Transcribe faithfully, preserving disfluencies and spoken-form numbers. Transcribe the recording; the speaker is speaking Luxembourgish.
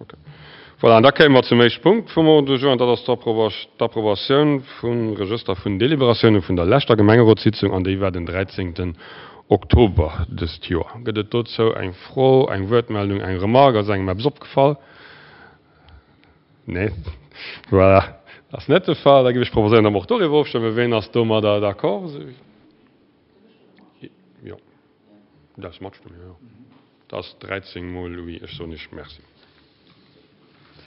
Okay. Voilà, an da kéime mer zum éischte Punkt vum Ordre du jour, an dat ass d'Approbatioun vum Regëster vun Deliberatioune vun der leschter Gemengerotssitzung, an déi war den dräizéngten Oktober dëst Joer. Gëtt et dozou eng Fro, eng Wuertmeldung, eng Remarque? Ass engem eppes opgefall? Nee? Voilà, dat ass net de Fall. Da géif ech proposéieren, datt mer och doriwwer ofstëmmen. Ween ass domadder d'accord? Jo, du däerfs matstëmmen, jo, jo. Dat ass dräizéng mol oui. Ech soen Iech Merci.